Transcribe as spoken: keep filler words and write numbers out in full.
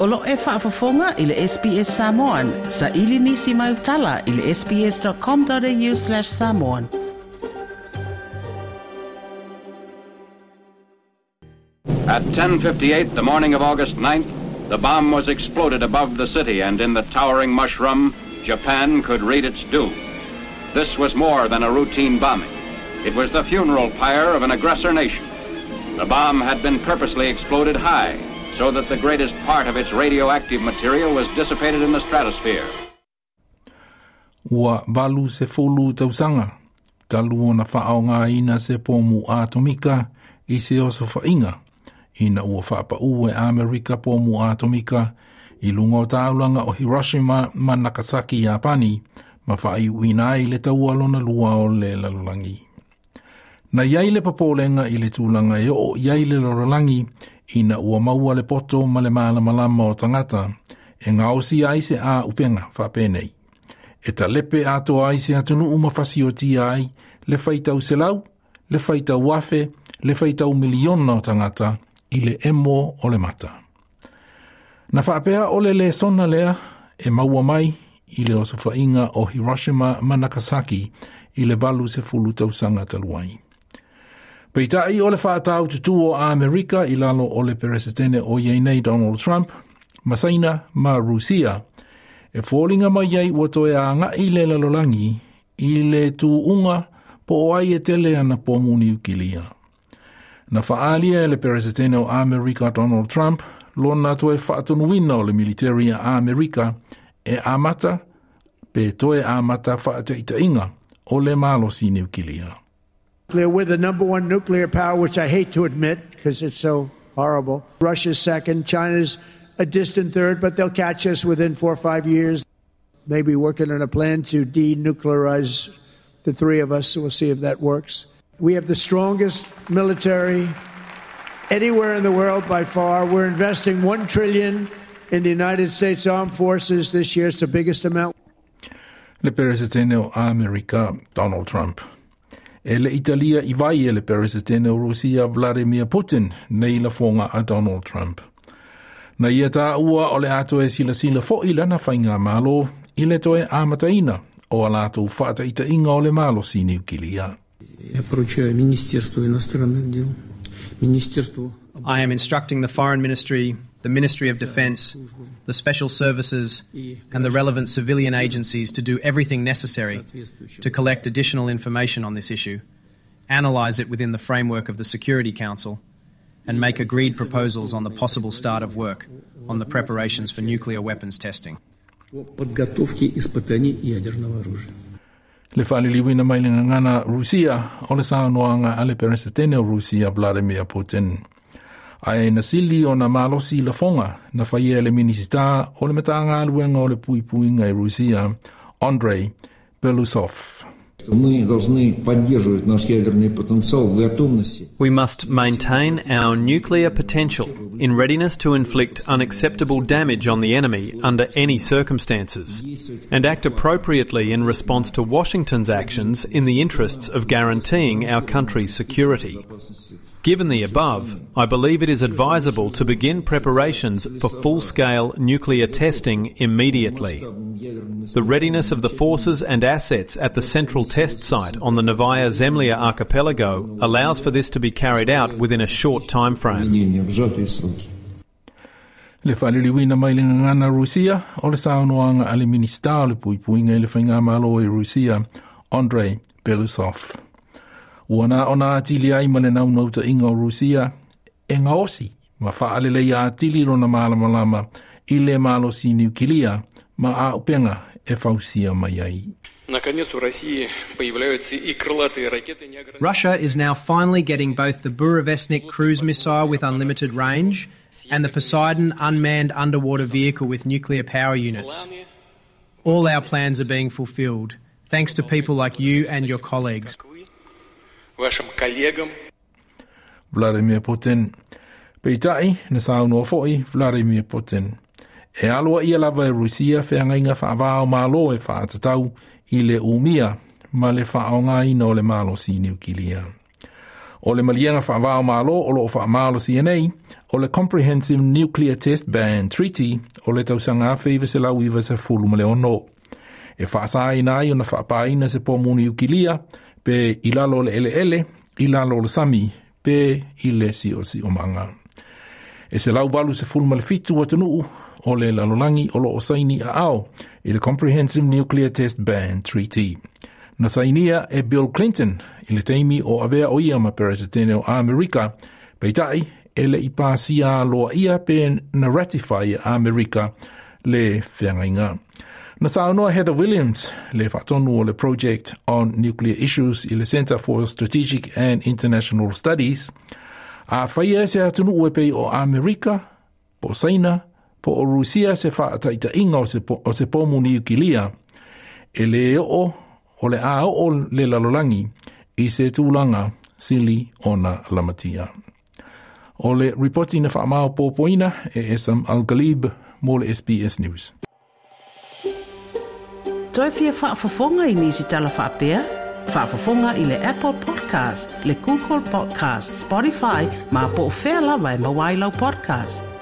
O lo e faafofoga i le S B S Samoan, sa ili nisi mai utala i le S B S dot com dot A U slash samoan. At ten fifty-eight the morning of August ninth, the bomb was exploded above the city, and in the towering mushroom, Japan could read its doom. This was more than a routine bombing. It was the funeral pyre of an aggressor nation. The bomb had been purposely exploded high so that the greatest part of its radioactive material was dissipated in the stratosphere. Ua valu sefulu tausaga talu ona faaaogāina se pomu atomika i se osofaiga ina ua faapaū e Amerika pomu atomika i luga o taulaga o Hiroshima ma Nagasaki Iapani ma faaiuina ai le taua lona lua o le lalolagi. Na iai le papolega i le tulaga e oo i ai le lalolagi ina ua maua le poto ma le malamalama o tagata e gaosi ai se auupega faapenei. E talepe atoa ai se atunuu ma fasiotia ai le faitau selau, le faitau afe, le faitau miliona o tagata i le emo o le mata. Na faapea o le lesona lea e maua mai i le osofaiga o Hiroshima ma Nagasaki i le valu sefulu tausaga talu ai. Peitai o le faatau tutu o Amerika i lalo o le peresetene o iai nei Donald Trump, ma Saina ma Rusia, e foliga mai ai ua toe agaʻi le lalolagi i le tuuga po o ai e tele ana pomu niukilia. Na faaalia e le peresetene o Amerika Donald Trump lona toe faatonuina o le military a Amerika e amata pe toe amata faataitaiga o le malosi niukilia. We're the number one nuclear power, which I hate to admit because it's so horrible. Russia's second, China's a distant third, but they'll catch us within four or five years. Maybe working on a plan to denuclearize the three of us, so we'll see if that works. We have the strongest military anywhere in the world by far. We're investing one trillion in the United States Armed Forces this year. It's the biggest amount. Le peresetene o Amerika Donald Trump. E le i talia i vai e le peresetene o Rusia Vladimir Putin nei lafoga a Donald Trump. Na ia taua o le a toe silasila foʻi lana faigamalo i le toe amataina o a latou faataitaiga o le malosi niukilia. Я поручаю Министерству иностранных дел, Министерству I am instructing the Foreign Ministry, the Ministry of Defence, the Special Services, and the relevant civilian agencies to do everything necessary to collect additional information on this issue, analyse it within the framework of the Security Council, and make agreed proposals on the possible start of work on the preparations for nuclear weapons testing. По подготовке испытаний ядерного оружия. Le faaliliuina mai le gagana Rusia o le saunoaga a le peresetene o Rusia Vladimir Putin. Ae na sili ona malosi lafoga na faia e le Minisita o le Matagaluega o le Puipuiga i Rusia, Andrei Belousov. Мы должны поддерживать наш ядерный потенциал в готовности. We must maintain our nuclear potential in readiness to inflict unacceptable damage on the enemy under any circumstances, and act appropriately in response to Washington's actions in the interests of guaranteeing our country's security. Given the above, I believe it is advisable to begin preparations for full scale nuclear testing immediately. The readiness of the forces and assets at the central test site on the Novaya Zemlya archipelago allows for this to be carried out within a short time frame. Проведения в сжатые сроки. Le faaliliuina mai le gagana Rusia o le saunoaga a le Minisita o le Puipuiga i le Faigamalo i Rusia, Andrei Belousov. Ua na ona atili ai ma le naunautaiga o Rusia e gaosi ma faaleleia atili lona malamalama i le malosi niukilia ma auupega e fausia mai ai. Наконец, у России появляются и крылатые ракеты неограниченного Russia is now finally getting both the Burevestnik cruise missile with unlimited range and the Poseidon unmanned underwater vehicle with nuclear power units. All our plans are being fulfilled, thanks to people like you and your colleagues. Как вы, вашим коллегам. Vladimir Putin. Peitai, na saunoa foʻi Vladimir Putin. E aloaia lava e Rusia feagaiga faava o Malo e faatatau i le umia ma le faaaogāina o le malosi niukilia. O le maliega faava o Malo o loo faamalosia nei, o le Comprehensive Nuclear Test Ban Treaty o le tausaga afe iva selau iva sefulu ma le ono. E faasaina ai ona faapaina se pomu niukilia pe i lalo o le eleele, i lalo o le sami, pe i le siosiomaga. E selau valu sefulu ma le fitu atunuu o le lalolagi o loo saini aao i le Comprehensive Nuclear Test Ban Treaty. Na sainia e Bill Clinton i le taimi o avea o ia ma Peresetene o Amerika, peitai e le i pasia loa ia pe na ratify e Amerika le feagaiga. Na saunoa Heather Williams, le faatonu o le Project on Nuclear Issues i le Center for Strategic and International Studies, a faia se atunuu e pei o Amerika, po Saina, po o Rusia se faataitaiga o se, po, o se pomu niukilia, e le oo o le a oo le lalolagi i se tulaga sili ona lamatia. O le ripoti na faamaopoopoina e Esam Al-Ghalib mo le S B S News. Toe fia faafofoga i nisi tala faapea? Faafofoga i le Apple Podcast, le Google Podcast, Spotify, ma po o fea lava e maua ai lau podcast.